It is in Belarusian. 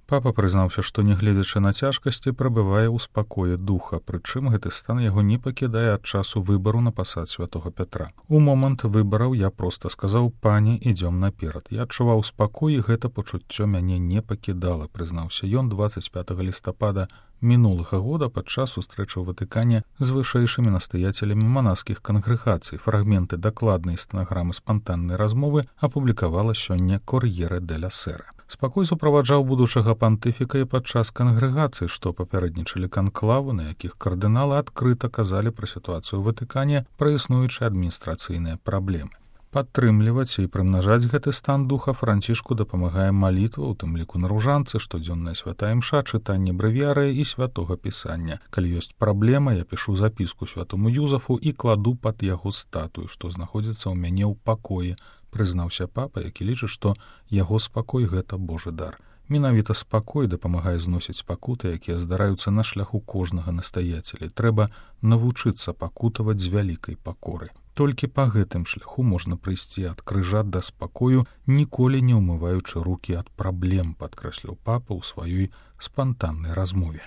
Папа прызнаўся, што, нягледзячы на цяжкасці, прабывае ў спакоі духа, прычым гэты стан яго не пакідае ад часу выбару на пасад святога Пятра. У момант выбараў я проста сказаў: «Пане, ідзём наперад». Я адчуваў спакой, і гэта пачуццё мяне не пакідала, прызнаўся ён 25 лістапада мінулага года падчас сустрэчы ў Ватыкане з вышэйшымі настаяцелямі манаскіх кангрэгацый. Фрагменты дакладнай стэнаграмы спантаннай размовы апублікавала сёння «Кор'ере деля Сера». Спакой суправаджаў будучага пантыфіка і падчас кангрэгацый, што папярэднічалі канклаву, на якіх кардыналы адкрыта казалі пра сітуацыю ў Ватыкане, пра існуючыя адміністрацыйныя праблемы. Падтрымліваць і прымнажаць гэты стан духа Францішку дапамагае малітва, у тым ліку на ружанцы, штодзённая святая імша, чытанне брэвіярыя і святога пісання. Калі ёсць праблема, я пішу запіску святому Юзафу і кладу пад яго статую, што знаходзіцца ў мяне ў пакоі, прызнаўся папа, які лічыць, што яго спакой — гэта Божы дар. Менавіта спакой дапамагае зносіць пакуты, якія здараюцца на шляху кожнага настаяцеля. Трэба навучыцца пакутаваць з вялікай пакоры. Толькі па гэтым шляху можна прыйсці ад крыжа да спакою, ніколі не ўмываючы рукі ад праблем, падкрэсліў папа ў сваёй спантаннай размове.